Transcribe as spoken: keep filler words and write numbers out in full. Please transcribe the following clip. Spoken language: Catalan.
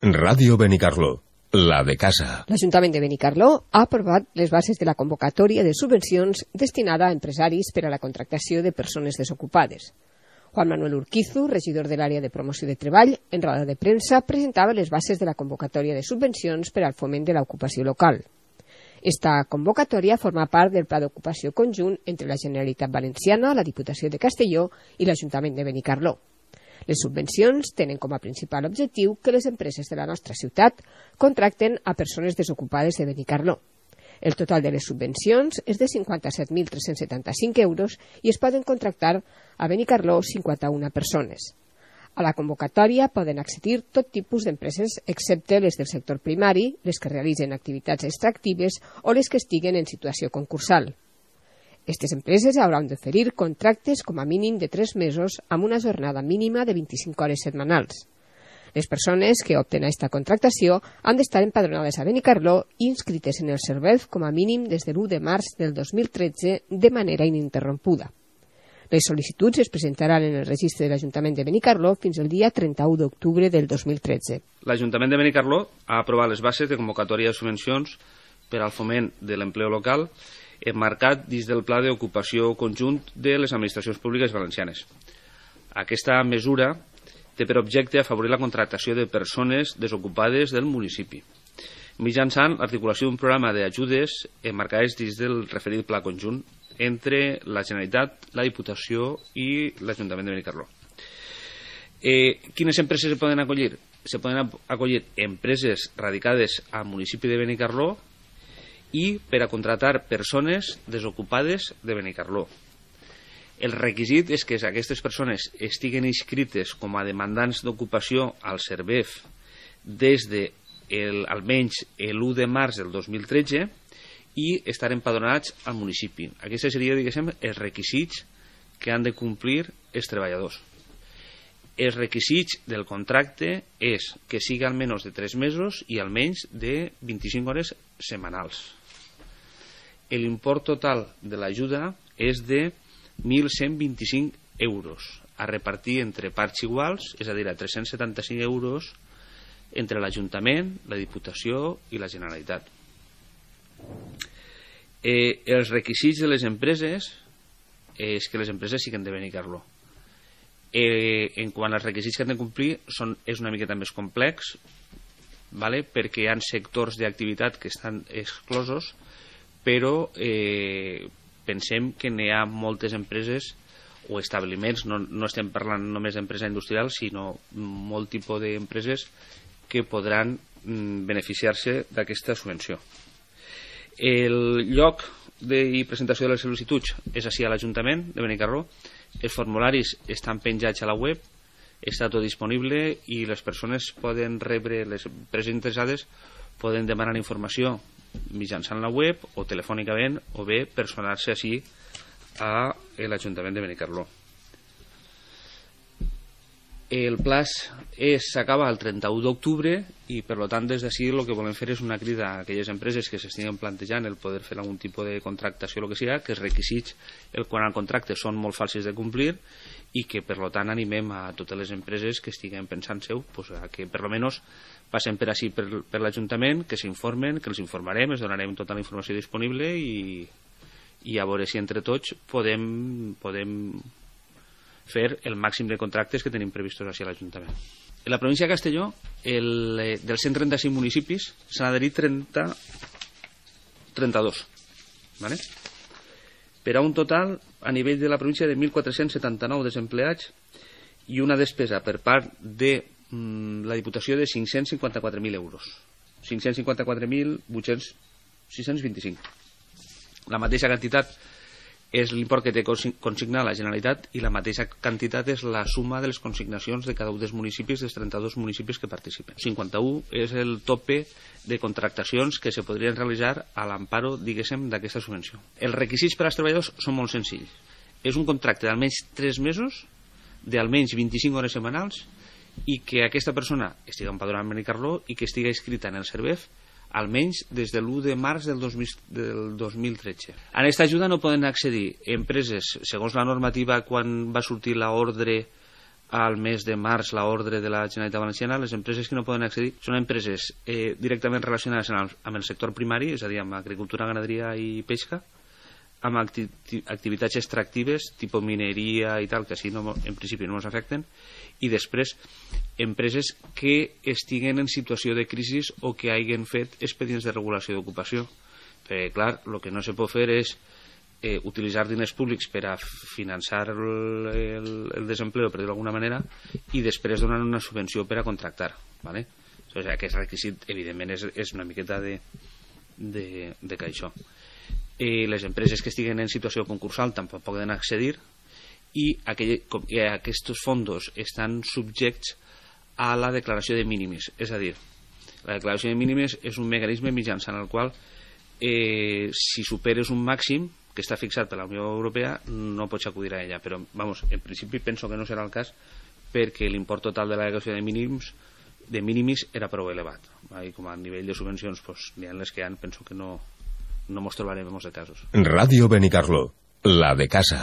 Ràdio Benicarló, la de casa. L'Ajuntament de Benicarló ha aprovat les bases de la convocatòria de subvencions destinada a empresaris per a la contractació de persones desocupades. Juan Manuel Urquizu, regidor de l'àrea de promoció de treball, en roda de premsa presentava les bases de la convocatòria de subvencions per al foment de l'ocupació local. Esta convocatòria forma part del pla d'ocupació conjunt entre la Generalitat Valenciana, la Diputació de Castelló i l'Ajuntament de Benicarló. Les subvencions tenen com a principal objectiu que les empreses de la nostra ciutat contracten a persones desocupades de Benicarló. El total de les subvencions és de cinquanta-set mil tres-cents setanta-cinc euros i es poden contractar a Benicarló cinquanta-una persones. A la convocatòria poden accedir tot tipus d'empreses excepte les del sector primari, les que realitzen activitats extractives o les que estiguen en situació concursal. Aquestes empreses hauran d'oferir contractes com a mínim de tres mesos amb una jornada mínima de vint-i-cinc hores setmanals. Les persones que opten a aquesta contractació han d'estar empadronades a Benicarló i inscrites en el SERVEF com a mínim des de l'u de març del dos mil tretze de manera ininterrompuda. Les sol·licituds es presentaran en el registre de l'Ajuntament de Benicarló fins al dia trenta-u d'octubre del dos mil tretze. L'Ajuntament de Benicarló ha aprovat les bases de convocatòria de subvencions per al foment de l'empleo local emmarcat dins del Pla d'Ocupació Conjunt de les Administracions Públiques Valencianes. Aquesta mesura té per objecte afavorir la contractació de persones desocupades del municipi, mitjançant l'articulació d'un programa d'ajudes emmarcades dins del referit Pla Conjunt entre la Generalitat, la Diputació i l'Ajuntament de Benicarló. Eh, quines empreses se poden acollir? Se poden acollir empreses radicades al municipi de Benicarló i per a contratar persones desocupades de Benicarló. El requisit és que aquestes persones estiguen inscrites com a demandants d'ocupació al SERVEF des de el, almenys l'u de març del dos mil tretze i estar empadronats al municipi. Aquests serien, diguéssim, els requisits que han de complir els treballadors. Els requisits del contracte és que sigui almenys de tres mesos i almenys de vint-i-cinc hores setmanals. L'import total de l'ajuda és de mil cent vint-i-cinc euros a repartir entre parts iguals, és a dir, a tres-cents setanta-cinc euros entre l'Ajuntament, la Diputació i la Generalitat. Eh, els requisits de les empreses és que les empreses siguin de Benicarló. Eh, en quant als requisits que han de complir són, és una miqueta més complex, vale? Perquè hi ha sectors d'activitat que estan exclosos, però eh, pensem que n'hi ha moltes empreses o establiments, no, no estem parlant només d'empresa industrial, sinó molt tipus d'empreses que podran mm, beneficiar-se d'aquesta subvenció. El lloc de presentació de les sol·licituds és així a l'Ajuntament de Benicarló. Els formularis estan penjats a la web, està tot disponible i les persones poden rebre, les empreses interessades poden demanar informació mitjançant la web o telefònicament o bé personar-se així a l'Ajuntament de Benicarló. El plaç s'acaba el trenta-u d'octubre i per tant des d'ací el que volem fer és una crida a aquelles empreses que s'estiguen plantejant el poder fer algun tipus de contractació o el que sigui, que els requisits el quant al contracte són molt fàcils de complir i que per tant animem a totes les empreses que estiguen pensant seu pues, a que per almenys passen per així per, per l'Ajuntament, que s'informen, que els informarem, els donarem tota la informació disponible i, i a veure si entre tots podem, podem fer el màxim de contractes que tenim previstos així a l'Ajuntament. En la província de Castelló, el, dels cent trenta-cinc municipis, s'han adherit trenta, trenta-dos. ¿Vale? Per a un total, a nivell de la província, de mil quatre-cents setanta-nou desempleats i una despesa per part de la Diputació de cinc-cents cinquanta-quatre mil euros. cinc-cents cinquanta-quatre mil sis-cents vint-i-cinc. La mateixa quantitat és l'import que té consignat la Generalitat i la mateixa quantitat és la suma de les consignacions de cada un dels municipis, dels trenta-dos municipis que participen. cinquanta-u és el tope de contractacions que se podrien realitzar a l'amparo, diguéssim, d'aquesta subvenció. Els requisits per als treballadors són molt senzills. És un contracte d'almenys tres mesos, d'almenys vint-i-cinc hores setmanals i que aquesta persona estigui empadronada en Benicarló i que estigui inscrita en el SERVEF almenys des de l'u de març del dos mil tretze. A aquesta ajuda no poden accedir empreses, segons la normativa quan va sortir l'ordre al mes de març l'ordre de la Generalitat Valenciana, les empreses que no poden accedir són empreses eh, directament relacionades amb el, amb el sector primari, és a dir, amb agricultura, ganaderia i pesca, amb acti activitats extractives, tipus mineria i tal, que així no, en principi no ens afecten, i després empreses que estiguen en situació de crisi o que hagin fet expedients de regulació d'ocupació. Perquè, clar, el que no se pot fer és Eh, utilitzar diners públics per a finançar el, el, el desempleo, per dir-ho d'alguna manera, i després donar una subvenció per a contractar, ¿vale? O sigui, aquest requisit, evidentment, és, és una miqueta de, de, de que això. Eh, les empreses que estiguen en situació concursal tampoc poden accedir, i, aquell, com, i aquests fons estan subjects a la declaració de mínimis. És a dir, la declaració de mínimis és un mecanisme mitjançant el qual eh, si superes un màxim que està fixat per la Unió Europea no pots acudir a ella, però vamos, en principi penso que no serà el cas perquè l'import total de la declaració de mínims de mínimis era prou elevat, i com a nivell de subvencions pues, n'hi ha les que han, penso que no, no mos trobarem en molts de casos. Radio Benicarló, la de casa.